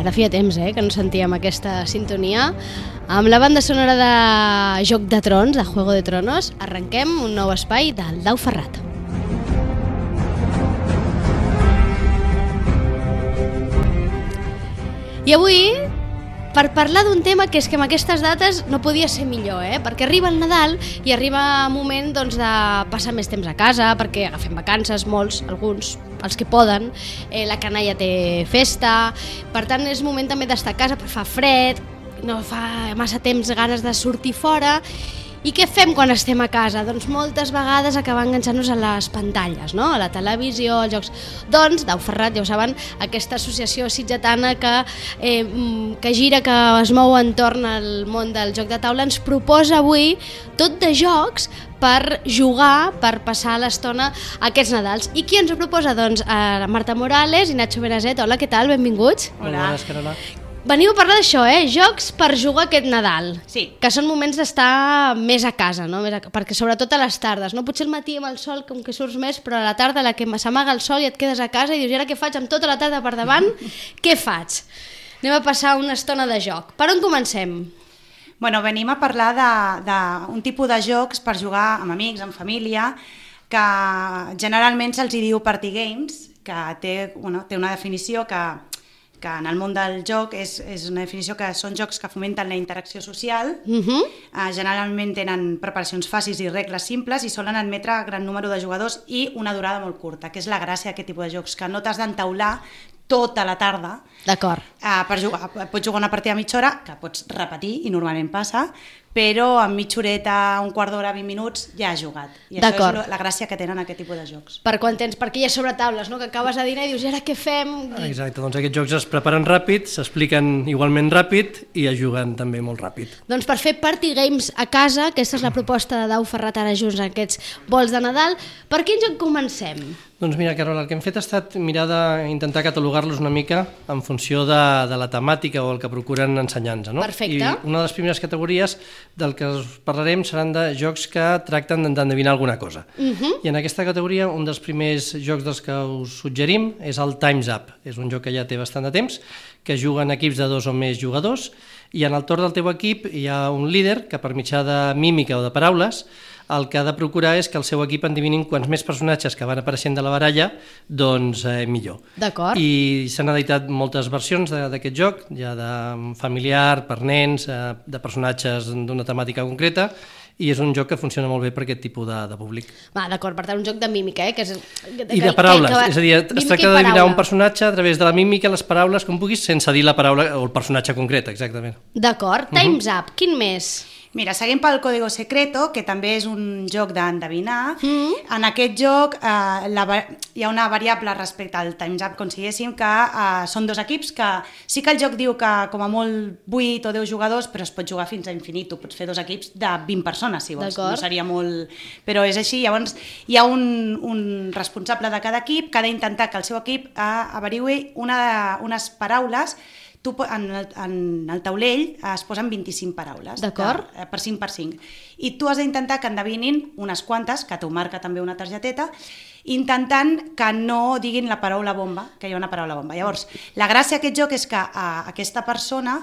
Ara feia temps, que no sentíem aquesta sintonia. Amb la banda sonora de Joc de Trons, de Juego de Tronos, arrenquem un nou espai del Dau Ferrat. I avui, per parlar d'un tema que és que en aquestes dates no podia ser millor, perquè arriba el Nadal i arriba un moment doncs, de passar més temps a casa, perquè agafem vacances, molts, alguns, els que poden, la canalla té festa, per tant és moment també d'estar a casa, però fa fred, no fa massa temps ganes de sortir fora. I què fem quan estem a casa? Doncs moltes vegades acabar enganxant-nos a les pantalles, no? A la televisió, als jocs. Doncs, Dau Ferrat, ja ho saben, aquesta associació sitgetana que gira, que es mou entorn al món del joc de taula, ens proposa avui tot de jocs per jugar, per passar l'estona aquests Nadals. I qui ens ho proposa? Doncs Marta Morales i Nacho Benazet. Hola, què tal? Benvinguts. Hola. Carola. Veniu a parlar d'això, jocs per jugar aquest Nadal. Sí. Que són moments d'estar més a casa, no? Perquè sobretot a les tardes, no? Potser el matí amb el sol com que surts més, però a la tarda la que s'amaga el sol i et quedes a casa i dius, i ara què faig amb tota la tarda per davant? Què faig? Anem a passar una estona de joc. Per on comencem? Bueno, venim a parlar d'un tipus de jocs per jugar amb amics, amb família, que generalment se'ls diu party games, que té una definició que en el món del joc és una definició que són jocs que fomenten la interacció social, generalment tenen preparacions fàcils i regles simples i solen admetre gran número de jugadors i una durada molt curta, que és la gràcia d'aquest tipus de jocs, que no t'has d'entaular tota la tarda. D'acord. Per jugar. Pots jugar una partida a mitja hora, que pots repetir, i normalment passa, però en mitja horeta, un quart d'hora, 20 minuts, ja has jugat. I això és la gràcia que tenen aquest tipus de jocs. Per quan tens, perquè hi ha sobretaules, no? Que acabes de dinar i dius, i ara què fem? Exacte, doncs aquests jocs es preparen ràpid, s'expliquen igualment ràpid i es juguen també molt ràpid. Doncs per fer party games a casa, aquesta és la proposta de Dau Ferrat ara junts en aquests vols de Nadal. Per quin joc comencem? Doncs mira, Carola, el que hem fet ha estat mirar d'intentar catalogar-los una mica en funció de la temàtica o el que procuren ensenyar-nos, no? Perfecte. I una de les primeres categories del que us parlarem seran de jocs que tracten d'endevinar alguna cosa. I en aquesta categoria un dels primers jocs dels que us suggerim és el Time's Up. És un joc que ja té bastant de temps, que juguen equips de 2 o més jugadors, i en el torn del teu equip hi ha un líder que per mitjà de mímica o de paraules el que ha de procurar és que el seu equip endevinin quants més personatges que van apareixent de la baralla, doncs millor. D'acord. I s'han editat moltes versions d'aquest joc, ja de familiar, per nens, de personatges d'una temàtica concreta, i és un joc que funciona molt bé per aquest tipus de públic. Va, d'acord, per tant, un joc de mímica, que és... I de paraules, és a dir, es tracta d'adivinar un personatge a través de la mímica, les paraules, com puguis, sense dir la paraula o el personatge concret, exactament. D'acord, Time's Up, quin més? Mira, seguim pel Código Secreto, que també és un joc d'endevinar. En aquest joc hi ha una variable respecte al Time's Up, com si diguéssim, que són 2 equips, que sí que el joc diu que com a molt 8 o 10 jugadors, però es pot jugar fins a infinit. Tu pots fer 2 equips de 20 persones, si vols. No seria molt... Però és així. Llavors, hi ha un responsable de cada equip que ha d'intentar que el seu equip averigui unes paraules. Tu, en el taulell es posen 25 paraules per 5 per 5 i tu has d'intentar que endevinin unes quantes, que t'ho marca també una targeteta, intentant que no diguin la paraula bomba, que hi ha una paraula bomba. Llavors, la gràcia d'aquest joc és que aquesta persona,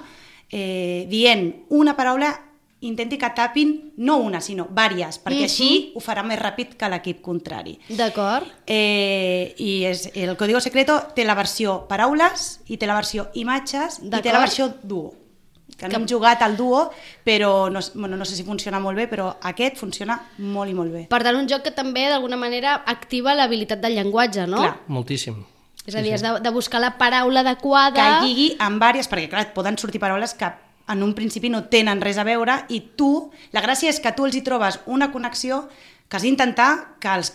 dient una paraula, intenti que tapin no una, sinó vàries, perquè així ho farà més ràpid que l'equip contrari. D'acord. I el Código Secreto té la versió paraules i té la versió imatges i té la versió duo. Que no hem jugat al duo, però no sé si funciona molt bé, però aquest funciona molt i molt bé. Per tant, un joc que també d'alguna manera activa l'habilitat del llenguatge, no? Clar. Moltíssim. És a dir, has de buscar la paraula adequada... Que lligui amb vàries, perquè clar, poden sortir paraules que en un principi no tenen res a veure i la gràcia és que tu els hi trobes una connexió que has d'intentar que el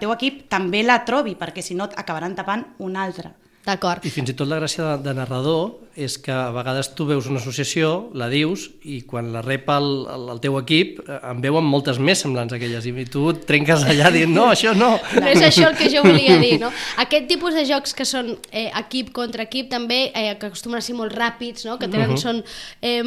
teu equip també la trobi, perquè si no acabaran tapant una altra. D'acord. I fins i tot la gràcia de narrador és que a vegades tu veus una associació, la dius, i quan la rep el teu equip en veuen moltes més semblants a aquelles, i tu et trenques allà dient no, això no. No és això el que jo volia dir, no? Aquest tipus de jocs que són equip contra equip també, que acostumen a ser molt ràpids, no? Que tenen, són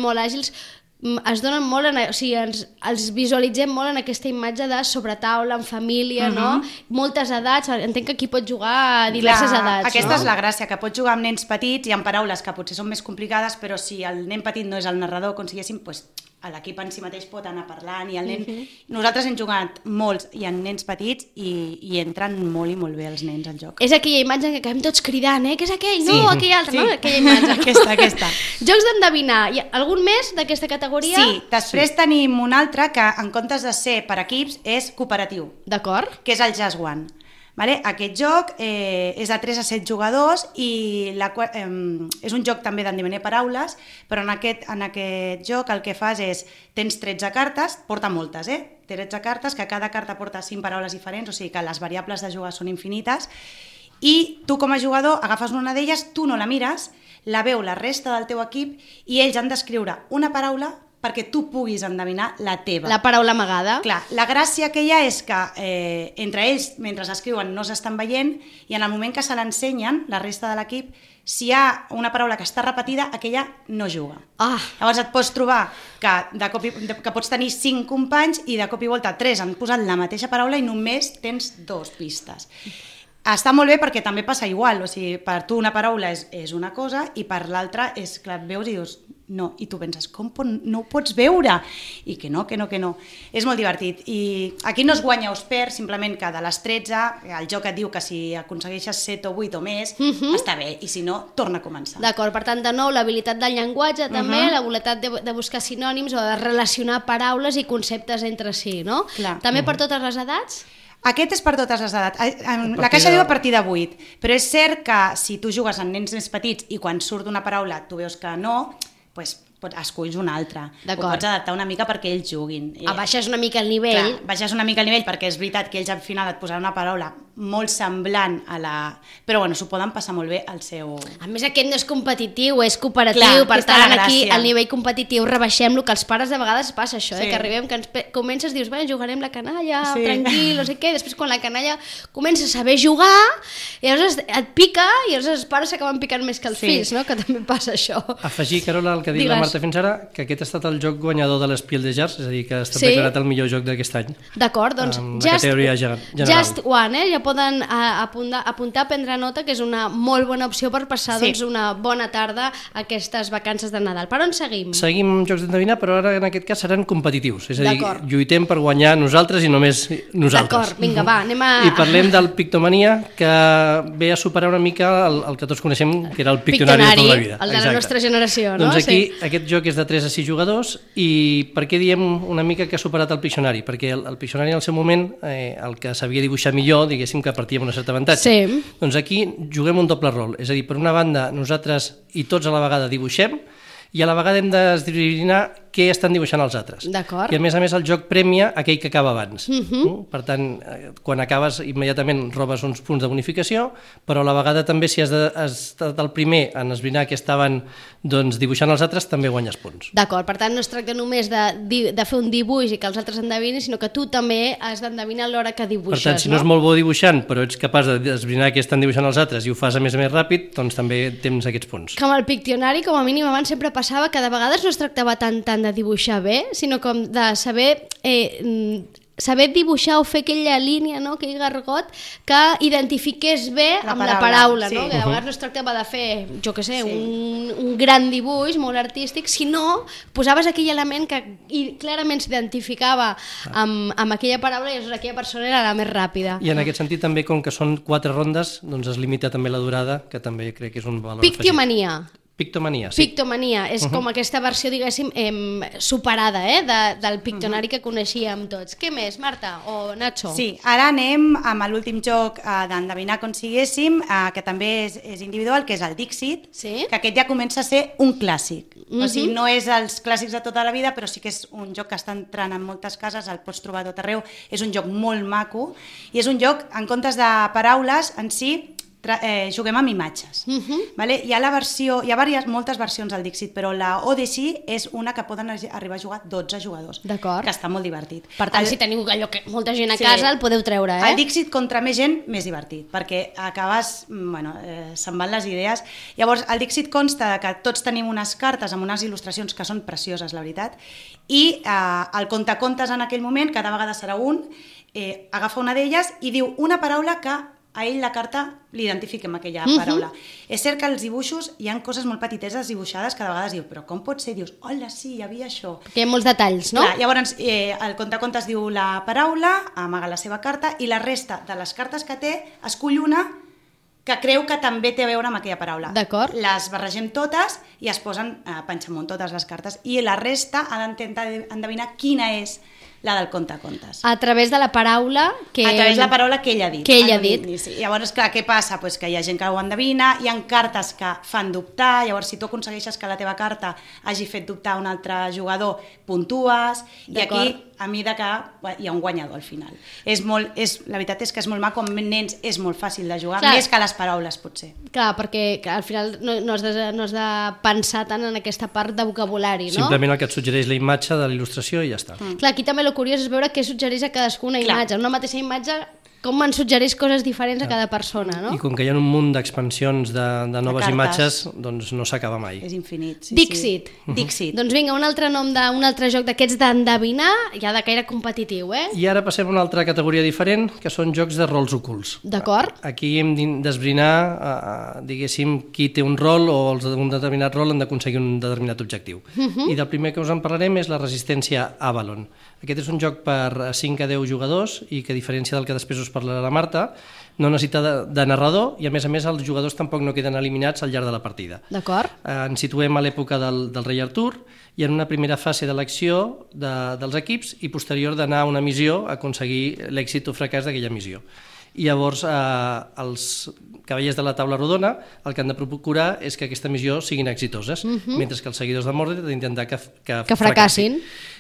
molt àgils, es donen molt, o sigui, els visualitzem molt en aquesta imatge de sobretaula, en família, no? Moltes edats, entenc que aquí pot jugar a diverses edats, aquesta no? és la gràcia, que pots jugar amb nens petits i amb paraules que potser són més complicades, però si el nen petit no és el narrador, com si diguéssim, doncs l'equip en si mateix pot anar parlant i el nen... Nosaltres hem jugat molts i en nens petits i entren molt i molt bé els nens al joc. És aquella imatge en què acabem tots cridant, què és aquell? No, aquell altre, no? Aquella imatge. Aquesta. Jocs d'endevinar. Algun més d'aquesta categoria? Sí, després tenim un altre que en comptes de ser per equips és cooperatiu. D'acord. Que és el Just One. Vale? Aquest joc és de 3 a 7 jugadors i és un joc també d'endevinar paraules, però en aquest joc el que fas és, tens 13 cartes, porta moltes, 13 cartes, que cada carta porta 5 paraules diferents, o sigui que les variables de jugar són infinites, i tu com a jugador agafes una d'elles, tu no la mires, la veu la resta del teu equip i ells han d'escriure una paraula perquè tu puguis endevinar la teva. La paraula amagada. Clar, la gràcia que hi ha és que entre ells, mentre escriuen, no s'estan veient i en el moment que se l'ensenyen, la resta de l'equip, si hi ha una paraula que està repetida, aquella no juga. Llavors et pots trobar que pots tenir 5 companys i de cop i volta 3 han posat la mateixa paraula i només tens 2 pistes. Està molt bé perquè també passa igual, o sigui, per tu una paraula és una cosa i per l'altra és que et veus i dius no, i tu penses, com no ho pots veure? I que no. És molt divertit. I aquí no es guanya o es perd, simplement que de les 13 el joc et diu que si aconsegueixes 7 o 8 o més, està bé, i si no, torna a començar. D'acord, per tant, de nou, l'habilitat del llenguatge també, l'habilitat de buscar sinònims o de relacionar paraules i conceptes entre si, no? Clar. També per totes les edats? Aquest és per totes les edats. La caixa diu a partir de 8, però és cert que si tu jugues amb nens més petits i quan surt una paraula tu veus que no, doncs esculls una altra. Ho pots adaptar una mica perquè ells juguin. Baixes una mica el nivell. Clar, baixes una mica el nivell perquè és veritat que ells al final et posaran una paraula molt semblant a la... Però bueno, s'ho poden passar molt bé al seu... A més, aquest no és competitiu, és cooperatiu. Clar, per tant, aquí al nivell competitiu rebaixem-lo, que als pares de vegades passa això, que arribem, que comences, dius, jugarem la canalla, tranquil, no sé què, després quan la canalla comença a saber jugar, i llavors et pica, i llavors els pares s'acaben picant més que els fills, no? Que també passa això. Afegir, Carola, el que ha dit la Marta fins ara, que aquest ha estat el joc guanyador de l'Spiel des Jahres, és a dir, que ha estat declarat el millor joc d'aquest any. D'acord, doncs Just One, ja poden apuntar, prendre nota, que és una molt bona opció per passar una bona tarda a aquestes vacances de Nadal. Per on seguim? Seguim jocs d'endevinar, però ara en aquest cas seran competitius, és a dir, lluitem per guanyar nosaltres i només nosaltres. D'acord, vinga, va, anem a... I parlem del Pictomania, que ve a superar una mica el que tots coneixem, que era el Pictonari de tota la vida. El de la nostra generació, no? Doncs aquí aquest joc és de 3 a 6 jugadors i per què diem una mica que ha superat el Pictionary? Perquè el Pictionary en el seu moment, el que sabia dibuixar millor, diguéssim que partia amb un cert avantatge. Sí. Doncs aquí juguem un doble rol, és a dir, per una banda nosaltres i tots a la vegada dibuixem i a la vegada hem d'esbrinar què estan dibuixant els altres. D'acord. I a més el joc premia aquell que acaba abans. Per tant, quan acabes immediatament robes uns punts de bonificació, però a la vegada també si has estat el primer en esbrinar què estaven dibuixant els altres, també guanyes punts. D'acord, per tant no es tracta només de fer un dibuix i que els altres endevinin, sinó que tu també has d'endevinar a l'hora que dibuixes. Per tant, si no ets molt bo dibuixant, però ets capaç d'esbrinar què estan dibuixant els altres i ho fas a més ràpid, doncs també tens aquests punts. Com el Pictionari, com a mínim abans sempre passava que de vegades no es tractava tant de dibuixar bé, sinó com de saber dibuixar o fer aquella línia, no? Aquell gargot que identifiqués bé amb la paraula, no? Que de vegades no es tractava de fer, jo què sé, un gran dibuix molt artístic, sinó posaves aquell element que clarament s'identificava amb aquella paraula i aquella persona era la més ràpida. I en aquest sentit també, com que són 4 rondes, doncs es limita també la durada, que també crec que és un valor afegit. Pictomania, sí. Pictomania, és com aquesta versió, diguéssim, superada del Pictonari que coneixíem tots. Què més, Marta o Nacho? Sí, ara anem amb l'últim joc d'endevinar com siguéssim, que també és individual, que és el Dixit, que aquest ja comença a ser un clàssic. O sigui, no és els clàssics de tota la vida, però sí que és un joc que està entrant en moltes cases, el pots trobar a tot arreu, és un joc molt maco, i és un joc, en comptes de paraules en si, juguem amb imatges. Vale? Hi ha moltes versions del Dixit, però la Odyssey és una que poden arribar a jugar 12 jugadors, que està molt divertit. Per tant, si teniu molta gent a casa, el podeu treure. El Dixit contra més gent, més divertit, perquè acabes, se'n van les idees. Llavors, el Dixit consta que tots tenim unes cartes amb unes il·lustracions que són precioses, la veritat, i el contacontes en aquell moment, cada vegada serà un, agafa una d'elles i diu una paraula que a ell la carta l'identifica amb aquella paraula. És cert que als dibuixos hi ha coses molt petiteses dibuixades que de vegades diu, però com pot ser? Dius, hola, sí, hi havia això. Que hi ha molts detalls, no? Clar, llavors, el contacontes diu la paraula, amaga la seva carta, i la resta de les cartes que té, escull una que creu que també té a veure amb aquella paraula. D'acord. Les barregem totes i es posen panxamunt totes les cartes. I la resta ha d'intentar endevinar quina és la del contacontes. A través de la paraula que... A través de la paraula que ell ha dit. Que ell ha dit. Sí. Llavors, clar, què passa? Pues que hi ha gent que ho endevina, hi ha cartes que fan dubtar, llavors si tu aconsegueixes que la teva carta hagi fet dubtar un altre jugador, puntues, i aquí, a mesura que hi ha un guanyador al final. La veritat és que és molt maco, amb nens és molt fàcil de jugar, clar, més que les paraules, potser. Clar, perquè al final no has de pensar tant en aquesta part de vocabulari, no? Simplement el que et suggereix la imatge de l'il·lustració i ja està. Clar, aquí també el curiós és veure què suggereix a cadascuna imatge. Una mateixa imatge, com en suggereix coses diferents a cada persona, no? I com que hi ha un munt d'expansions de noves imatges, doncs no s'acaba mai. És infinit. Dixit. Dixit. Doncs vinga, un altre nom d'un altre joc d'aquests d'endevinar, ja de caire competitiu, I ara passem a una altra categoria diferent, que són jocs de rols ocults. D'acord. Aquí hem d'esbrinar, diguéssim, qui té un rol o els d'un determinat rol han d'aconseguir un determinat objectiu. I del primer que us en parlarem és la resistència Avalon. Aquest és un joc per 5 a 10 jugadors i que, a diferència del que després us parlarà la Marta, no necessita de narrador i, a més, els jugadors tampoc no queden eliminats al llarg de la partida. D'acord. Ens situem a l'època del rei Artur i en una primera fase d'elecció dels equips i posterior d'anar a una missió a aconseguir l'èxit o fracàs d'aquella missió. I llavors els cavallers de la taula rodona el que han de procurar és que aquesta missió siguin exitoses, mentre que els seguidors de Mordred han d'intentar que fracassin.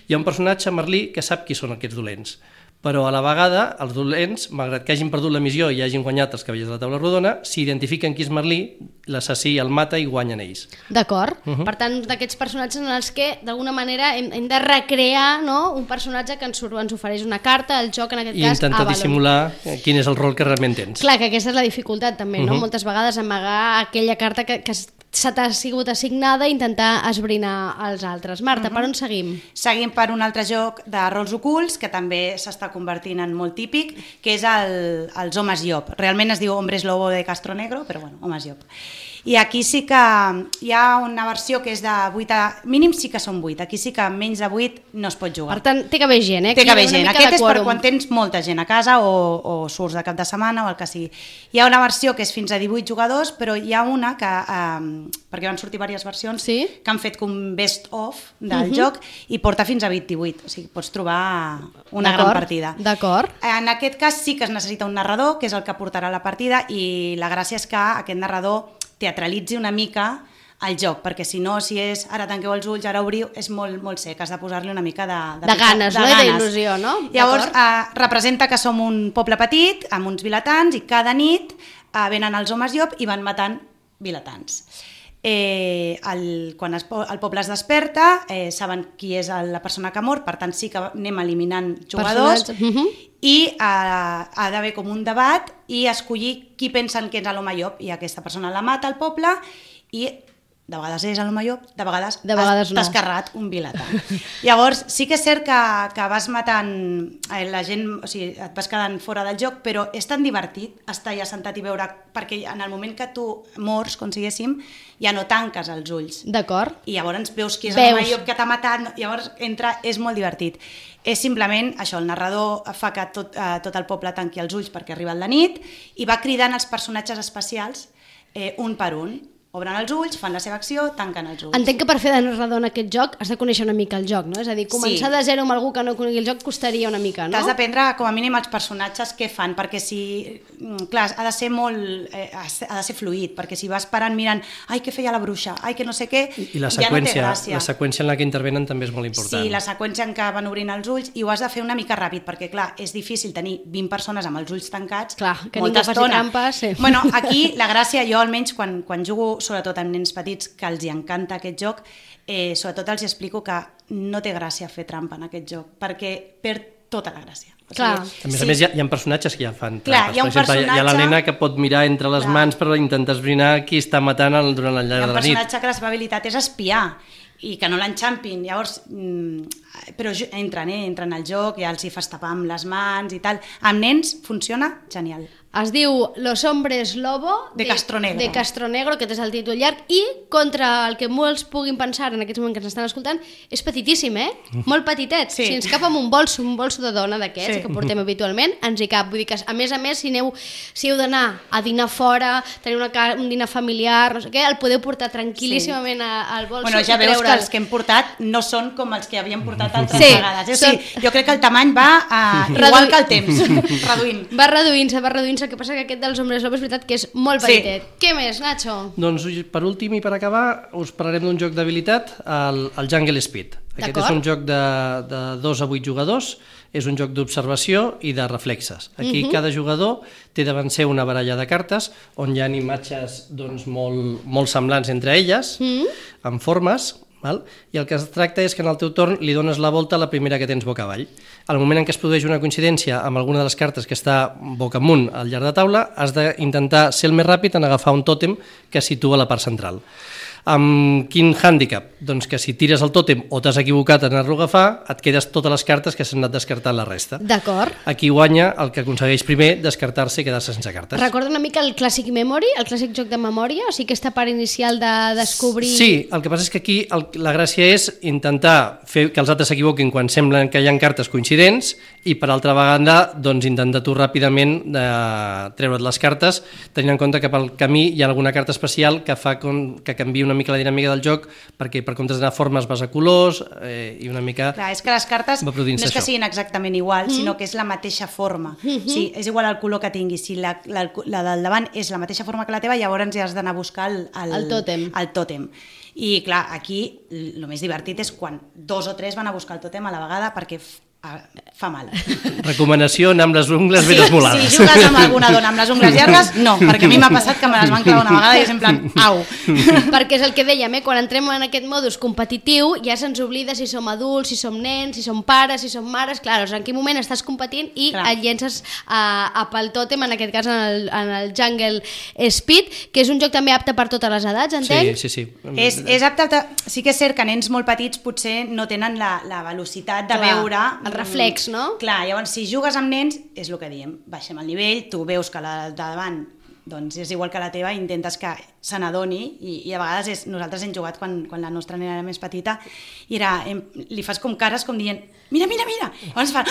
Hi ha un personatge, Merlí, que sap qui són aquests dolents, però a la vegada els dolents, malgrat que hagin perdut la missió i hagin guanyat els cavallers de la taula rodona, si identifiquen qui és Merlí, l'assassí el mata i guanyen ells. D'acord. Per tant, d'aquests personatges en els que d'alguna manera hem de recrear, no, un personatge que ens ofereix una carta, el joc en aquest cas i intentar dissimular quin és el rol que realment tens. Clar, que aquesta és la dificultat també, no? Moltes vegades amagar aquella carta que se t'ha sigut assignada i intentar esbrinar els altres. Marta, per on seguim? Seguim per un altre joc de rols ocults que també s'està convertint en molt típic, que és els homes llop. Realment es diu Hombres Lobo de Castro Negro, però bueno, homes llop. I aquí sí que hi ha una versió que és de 8 a... mínim sí que són 8, aquí sí que menys de 8 no es pot jugar. Per tant, té que haver gent, Té que haver gent. Aquest és per quan tens molta gent a casa o surts de cap de setmana o el que sigui. Hi ha una versió que és fins a 18 jugadors, però hi ha una que, perquè van sortir diverses versions, que han fet com best of del joc i porta fins a 28, o sigui, pots trobar una gran partida. D'acord. En aquest cas sí que es necessita un narrador, que és el que portarà la partida, i la gràcia és que aquest narrador teatralitzi una mica el joc, perquè si no, si és ara tanqueu els ulls, ara obriu, és molt sec, has de posar-li una mica de ganes, no? D'il·lusió, no? Llavors, representa que som un poble petit, amb uns vilatans, i cada nit venen els homes llop i van matant vilatans. Quan el poble es desperta, saben qui és la persona que ha mort, per tant sí que anem eliminant jugadors, i ha d'haver com un debat i escollir qui pensen que és l'home llop, i aquesta persona la mata al poble i de vegades és l'home llop, de vegades t'has escarrat un vilatà. Llavors sí que és cert que vas matant la gent, o sigui, et vas quedant fora del joc, però és tan divertit estar allà sentat i veure, perquè en el moment que tu mors, com siguéssim, ja no tanques els ulls. D'acord. I llavors veus qui és l'home llop que t'ha matat, llavors és molt divertit. És simplement això, el narrador fa que tot el poble tanqui els ulls perquè arriba la nit i va cridant els personatges especials un per un. obren els ulls, fan la seva acció, tanquen els ulls. Entenc que per fer de narrador en aquest joc has de conèixer una mica el joc, no? És a dir, començar de zero amb algú que no conegui el joc costaria una mica, no? T'has d'aprendre com a mínim els personatges què fan, perquè si... Clar, ha de ser molt... ha de ser fluid, perquè si vas parant mirant ai, què feia la bruixa, ai, que no sé què, I la ja no té gràcia. La seqüència en la que intervenen també és molt important. Sí, la seqüència en què van obrint els ulls, i ho has de fer una mica ràpid, perquè clar, és difícil tenir 20 persones amb els ulls tancats, clar, que molta ningú faci estona. trampes, sí. Bueno, aquí la gràcia, jo almenys quan jugo, sobretot amb nens petits, que els hi encanta aquest joc, sobretot els explico que no té gràcia fer trampa en aquest joc, perquè perd tota la gràcia. Clar. A més, hi ha personatges que ja fan trampes. Clar, hi ha un personatge... Hi ha la nena que pot mirar entre les mans per intentar esbrinar qui està matant durant el llarg de la nit. Hi ha un personatge que la seva habilitat és espiar i que no l'enxampin, llavors però entren al joc, ja els hi fas tapar amb les mans i tal. Amb nens funciona genial. Es diu Los Hombres Lobo de Castronegro. De Castronegro, aquest és el títol llarg, i contra el que molts puguin pensar en aquests moments que ens estan escoltant, és petitíssim, molt petitet. Sí. Si ens cap amb un bolso de dona d'aquests que portem habitualment, ens hi cap. Vull dir que, a més, si heu d'anar a dinar fora, tenir un dinar familiar, no sé què, el podeu portar tranquil·líssimament al bolso. Bueno, ja veus que els que hem portat no són com els que havíem portat altres vegades. O sigui, jo crec que el tamany va igual que el temps, reduint. Va reduint-se. El que passa que aquest dels Hombres Lobo és veritat que és molt petitet. Què més, Nacho? Doncs per últim i per acabar us parlarem d'un joc d'habilitat, el Jungle Speed. Aquest és un joc de 2 a 8 jugadors, és un joc d'observació i de reflexes. Aquí cada jugador té davant seu una baralla de cartes on hi ha imatges molt semblants entre elles, amb formes, i el que es tracta és que en el teu torn li dones la volta a la primera que tens boca avall. Al moment en què es produeix una coincidència amb alguna de les cartes que està boca amunt al llarg de taula, has d'intentar ser el més ràpid en agafar un tòtem que situa a la part central. Amb quin hàndicap? Doncs que si tires el tòtem o t'has equivocat en anar-lo a agafar, et quedes totes les cartes que s'han anat descartant la resta. D'acord. Aquí guanya el que aconsegueix primer descartar-se i quedar-se sense cartes. Recorda una mica el Classic Memory, el clàssic joc de memòria, o sigui aquesta part inicial de descobrir... Sí, el que passa és que aquí la gràcia és intentar fer que els altres s'equivoquin quan semblen que hi ha cartes coincidents i per altra banda doncs intentar tu ràpidament treure't les cartes tenint en compte que pel camí hi ha alguna carta especial que fa que canviï una mica la dinàmica del joc, perquè per comptes d'anar a formes vas a colors i una mica... Clar, és que les cartes no és que siguin exactament igual, sinó que és la mateixa forma. Sí, és igual el color que tinguis. Si la del davant és la mateixa forma que la teva, llavors ja has d'anar a buscar el tòtem. I clar, aquí el més divertit és quan 2 o 3 van a buscar el tòtem a la vegada perquè fa mal. Recomanació, anar amb les ungles ben esmolades. Si jugues amb alguna dona amb les ungles llargues, no, perquè a mi m'ha passat que me les van clavar una vegada i és en plan, au. Perquè és el que dèiem, quan entrem en aquest modus competitiu ja se'ns oblida si som adults, si som nens, si som pares, si som mares, clar, en quin moment estàs competint i et llences pel tòtem, en aquest cas en el Jungle Speed, que és un joc també apte per totes les edats, entenc? Sí. És apte, sí que és cert que nens molt petits potser no tenen la velocitat de veure... El reflex, no? Clar, llavors si jugues amb nens, és el que diem, baixem el nivell, tu veus que la de davant doncs és igual que la teva, intentes que se n'adoni i a vegades nosaltres hem jugat quan la nostra nena era més petita i li fas com cares com dient mira, llavors fa,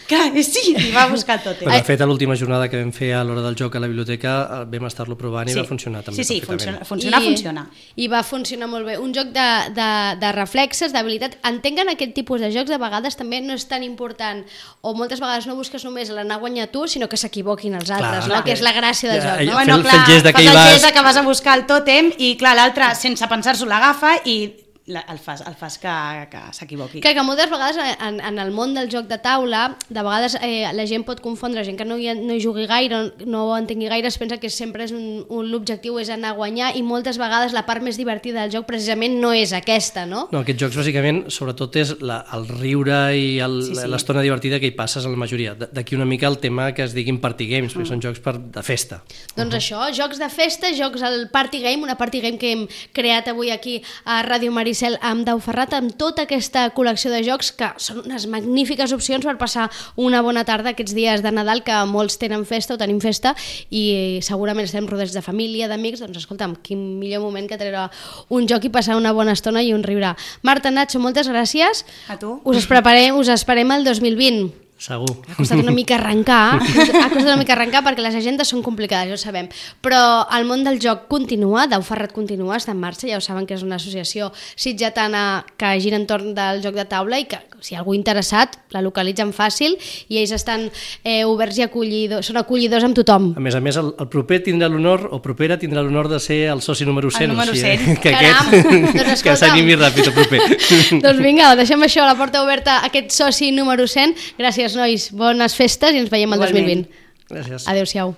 clar, sí, i va a buscar el tòtem. De fet, a l'última jornada que vam fer a l'hora del joc a la biblioteca vam estar-lo provant i va funcionar també perfectament. Funciona. I va funcionar molt bé. Un joc de reflexes, d'habilitat. Entenc en aquest tipus de jocs de vegades també no és tan important o moltes vegades no busques només l'anar a guanyar tu, sinó que s'equivoquin els altres, no? Que és la gràcia del joc, no? Bueno, clar, fas el gest que vas a buscar el tòtem i clar, l'altre sense pensar-s'ho l'agafa i el fas que s'equivoqui. Que moltes vegades en el món del joc de taula, de vegades la gent pot confondre, gent que no hi jugui gaire, no ho entengui gaire, es pensa que sempre és l'objectiu és anar a guanyar i moltes vegades la part més divertida del joc precisament no és aquesta, no? No, aquests jocs bàsicament sobretot és el riure i l'estona divertida que hi passes a la majoria. D'aquí una mica el tema que es diguin party games, perquè són jocs de festa. Doncs això, jocs de festa, jocs al party game, una party game que hem creat avui aquí a Ràdio Maricel amb Dau Ferrat, amb tota aquesta col·lecció de jocs que són unes magnífiques opcions per passar una bona tarda aquests dies de Nadal que molts tenen festa o tenim festa i segurament estem rodats de família, d'amics, doncs escolta'm, quin millor moment que treure un joc i passar una bona estona i un riure. Marta, Nacho, moltes gràcies. A tu. Us esperem el 2020. Segur. Ha costat una mica arrencar, perquè les agendes són complicades, ja ho sabem, però el món del joc continua, Dau Ferrat continua, està en marxa, ja ho saben que és una associació sitgetana que gira entorn del joc de taula i que si algú interessat la localitzen fàcil i ells estan oberts i són acollidors amb tothom. A més, el proper tindrà l'honor, o propera tindrà l'honor de ser el soci número 100. El número 100. Que Caram, aquest, que s'animi ràpid el proper. Doncs vinga, deixem això, la porta oberta a aquest soci número 100. Gràcies, nois, bones festes i ens veiem el 2020. Gràcies. Adéu-siau.